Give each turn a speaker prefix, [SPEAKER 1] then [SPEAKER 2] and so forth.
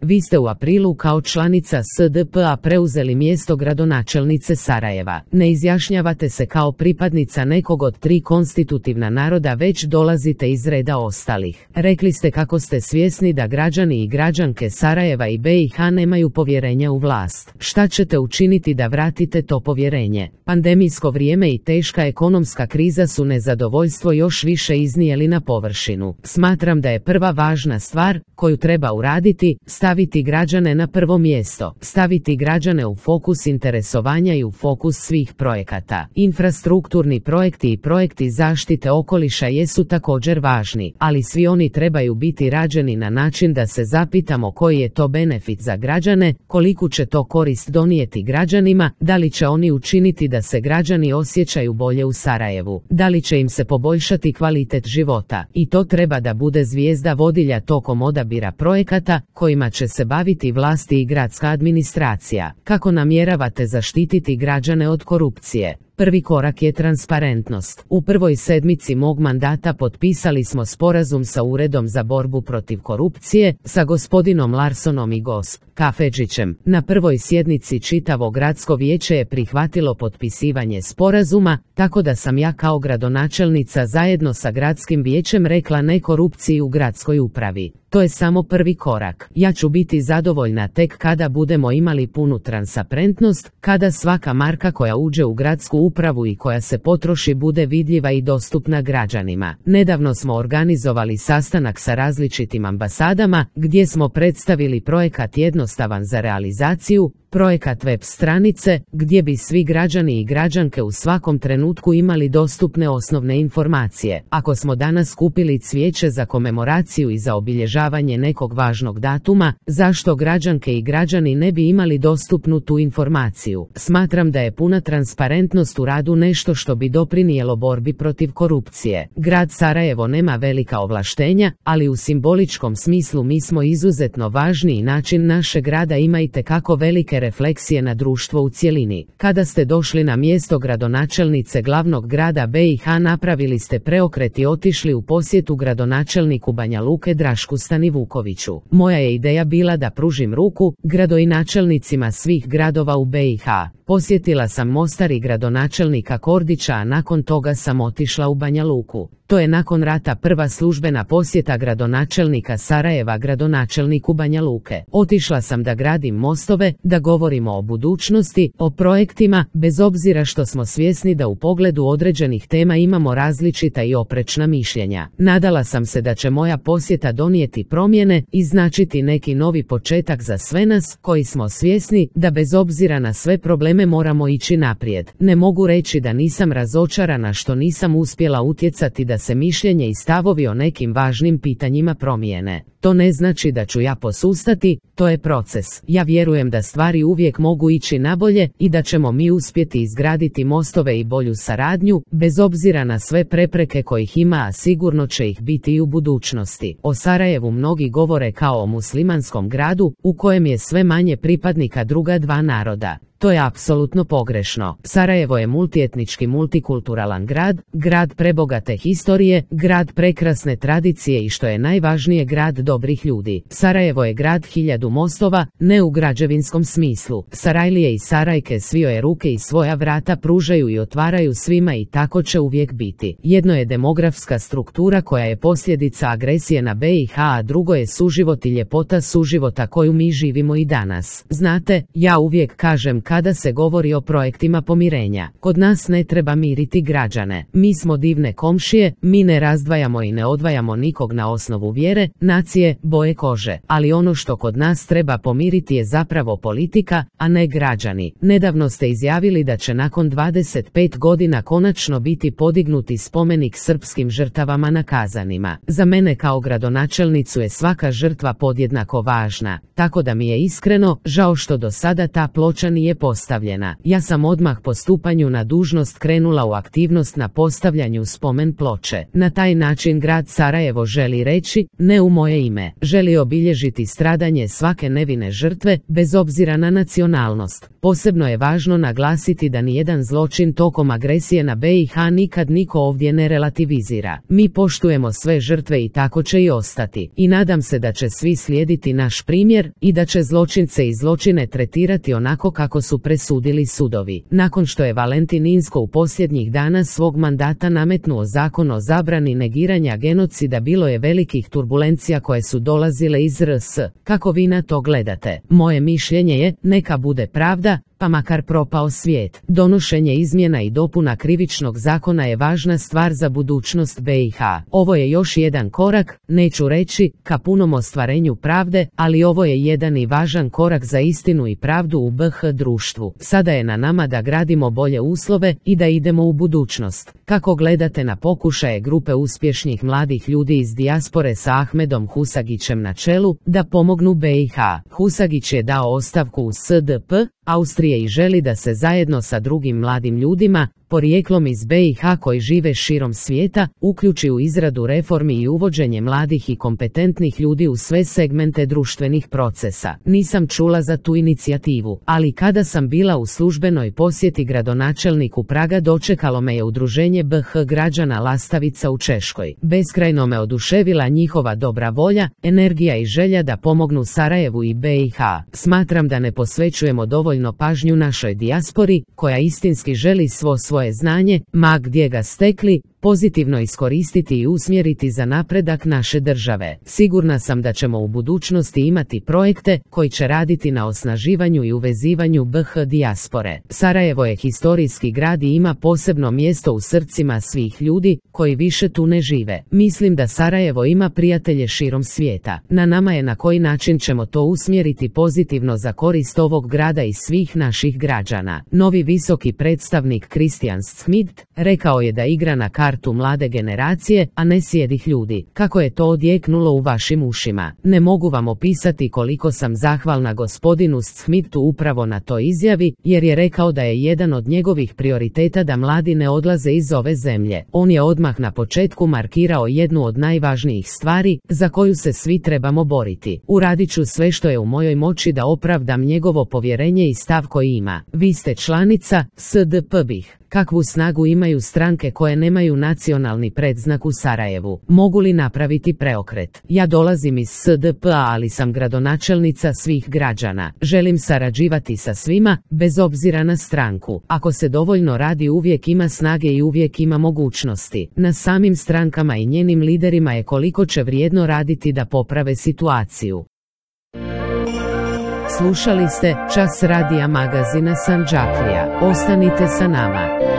[SPEAKER 1] vi ste u aprilu kao članica SDP-a preuzeli mjesto gradonačelnice Sarajeva. Ne izjašnjavate se kao pripadnica nekog od 3 konstitutivna naroda, već dolazite iz reda ostalih. Rekli ste kako ste svjesni da građani i građanke Sarajeva i BiH nemaju povjerenja u vlast. Šta ćete učiniti da vratite to povjerenje? Pandemijsko vrijeme i teška ekonomska kriza su nezadovoljstvo još više iznijeli na površinu. Smatram da je prva važna stvar koju treba uraditi staviti građane na prvo mjesto, staviti građane u fokus interesovanja i u fokus svih projekata. Infrastrukturni projekti i projekti zaštite okoliša jesu također važni, ali svi oni trebaju biti rađeni na način da se zapitamo koji je to benefit za građane, koliku će to korist donijeti građanima, da li će oni učiniti da se građani osjećaju bolje u Sarajevu, da li će im se poboljšati kvalitet života. I to treba da bude zvijezda vodilja tokom odabira projekata kojima će se baviti vlasti i gradska administracija. Kako namjeravate zaštititi građane od korupcije? Prvi korak je transparentnost. U prvoj sedmici mog mandata potpisali smo sporazum sa Uredom za borbu protiv korupcije, sa gospodinom Larsonom i Kafedžićem. Na prvoj sjednici čitavo gradsko vijeće je prihvatilo potpisivanje sporazuma, tako da sam ja kao gradonačelnica zajedno sa gradskim vijećem rekla ne korupciji u gradskoj upravi. To je samo prvi korak. Ja ću biti zadovoljna tek kada budemo imali punu transparentnost, kada svaka marka koja uđe u gradsku upravu i koja se potroši bude vidljiva i dostupna građanima. Nedavno smo organizovali sastanak sa različitim ambasadama, gdje smo predstavili projekat jednostavan za realizaciju, projekat web stranice, gdje bi svi građani i građanke u svakom trenutku imali dostupne osnovne informacije. Ako smo danas kupili cvijeće za komemoraciju i za obilježavanje nekog važnog datuma, zašto građanke i građani ne bi imali dostupnu tu informaciju? Smatram da je puna transparentnost u radu nešto što bi doprinijelo borbi protiv korupcije. Grad Sarajevo nema velika ovlaštenja, ali u simboličkom smislu mi smo izuzetno važni i način našeg rada ima itekako velike refleksije na društvo u cjelini. Kada ste došli na mjesto gradonačelnice glavnog grada BiH, napravili ste preokret i otišli u posjetu gradonačelniku Banja Luke Drašku Stanivukoviću. Moja je ideja bila da pružim ruku gradonačelnicima svih gradova u BiH. Posjetila sam Mostar i gradonačelnika Kordića, a nakon toga sam otišla u Banja Luku. To je nakon rata prva službena posjeta gradonačelnika Sarajeva gradonačelniku Banja Luke. Otišla sam da gradim mostove, da govorimo o budućnosti, o projektima, bez obzira što smo svjesni da u pogledu određenih tema imamo različita i oprečna mišljenja. Nadala sam se da će moja posjeta donijeti promjene i značiti neki novi početak za sve nas, koji smo svjesni da bez obzira na sve probleme moramo ići naprijed. Ne mogu reći da nisam razočarana što nisam uspjela utjecati da se mišljenje i stavovi o nekim važnim pitanjima promijene. To ne znači da ću ja posustati, to je proces. Ja vjerujem da stvari uvijek mogu ići nabolje i da ćemo mi uspjeti izgraditi mostove i bolju saradnju, bez obzira na sve prepreke kojih ima, a sigurno će ih biti i u budućnosti. O Sarajevu mnogi govore kao o muslimanskom gradu, u kojem je sve manje pripadnika druga dva naroda. To je apsolutno pogrešno. Sarajevo je multietnički, multikulturalan grad, grad prebogate historije, grad prekrasne tradicije i što je najvažnije, grad dobrih ljudi. Sarajevo je grad 1000 mostova, ne u građevinskom smislu. Sarajlije i Sarajke svoje ruke i svoja vrata pružaju i otvaraju svima i tako će uvijek biti. Jedno je demografska struktura koja je posljedica agresije na BiH, a drugo je suživot i ljepota suživota koju mi živimo i danas. Znate, ja uvijek kažem kada se govori o projektima pomirenja, kod nas ne treba miriti građane. Mi smo divne komšije, mi ne razdvajamo i ne odvajamo nikog na osnovu vjere, nacije, boje kože, ali ono što kod nas treba pomiriti je zapravo politika, a ne građani. Nedavno ste izjavili da će nakon 25 godina konačno biti podignuti spomenik srpskim žrtvama na Kazanima. Za mene kao gradonačelnicu je svaka žrtva podjednako važna, tako da mi je iskreno žao što do sada ta ploča nije postavljena. Ja sam odmah po stupanju na dužnost krenula u aktivnost na postavljanju spomen ploče. Na taj način grad Sarajevo želi reći, ne u moje ime. Želi obilježiti stradanje svake nevine žrtve, bez obzira na nacionalnost. Posebno je važno naglasiti da nijedan zločin tokom agresije na BiH nikad niko ovdje ne relativizira. Mi poštujemo sve žrtve i tako će i ostati. I nadam se da će svi slijediti naš primjer i da će zločince i zločine tretirati onako kako su presudili sudovi. Nakon što je Valentin Inzko u posljednjih dana svog mandata nametnuo zakon o zabrani negiranja genocida, bilo je velikih turbulencija koje su dolazile iz RS. Kako vi na to gledate? Moje mišljenje je, neka bude pravda, pa makar propao svijet. Donošenje izmjena i dopuna krivičnog zakona je važna stvar za budućnost BiH. Ovo je još jedan korak, neću reći ka punom ostvarenju pravde, ali ovo je jedan i važan korak za istinu i pravdu u BiH društvu. Sada je na nama da gradimo bolje uslove i da idemo u budućnost. Kako gledate na pokušaje grupe uspješnih mladih ljudi iz dijaspore sa Ahmedom Husagićem na čelu da pomognu BiH? Husagić je dao ostavku u SDP Austrije i želi da se zajedno sa drugim mladim ljudima, porijeklom iz BiH koji žive širom svijeta, uključi u izradu reformi i uvođenje mladih i kompetentnih ljudi u sve segmente društvenih procesa. Nisam čula za tu inicijativu, ali kada sam bila u službenoj posjeti gradonačelniku Praga, dočekalo me je udruženje BiH građana Lastavica u Češkoj. Beskrajno me oduševila njihova dobra volja, energija i želja da pomognu Sarajevu i BiH. Smatram da ne posvećujemo dovoljno pažnju našoj dijaspori, koja istinski želi svoje znanje, ma gdje ga stekli, pozitivno iskoristiti i usmjeriti za napredak naše države. Sigurna sam da ćemo u budućnosti imati projekte koji će raditi na osnaživanju i uvezivanju BiH dijaspore. Sarajevo je historijski grad i ima posebno mjesto u srcima svih ljudi koji više tu ne žive. Mislim da Sarajevo ima prijatelje širom svijeta. Na nama je na koji način ćemo to usmjeriti pozitivno za korist ovog grada i svih naših građana. Novi visoki predstavnik Christian Schmidt rekao je da igra na kartu mlade generacije, a ne sjedih ljudi. Kako je to odjeknulo u vašim ušima? Ne mogu vam opisati koliko sam zahvalna gospodinu Schmidtu upravo na toj izjavi, jer je rekao da je jedan od njegovih prioriteta da mladi ne odlaze iz ove zemlje. On je odmah na početku markirao jednu od najvažnijih stvari za koju se svi trebamo boriti. Uradit ću sve što je u mojoj moći da opravdam njegovo povjerenje i stav koji ima. Vi ste članica SDP BiH. Kakvu snagu imaju stranke koje nemaju nacionalni predznak u Sarajevu? Mogu li napraviti preokret? Ja dolazim iz SDP-a, ali sam gradonačelnica svih građana. Želim sarađivati sa svima, bez obzira na stranku. Ako se dovoljno radi, uvijek ima snage i uvijek ima mogućnosti. Na samim strankama i njenim liderima je koliko će vrijedno raditi da poprave situaciju. Slušali ste Čas radija magazina Sandžaklija. Ostanite sa nama.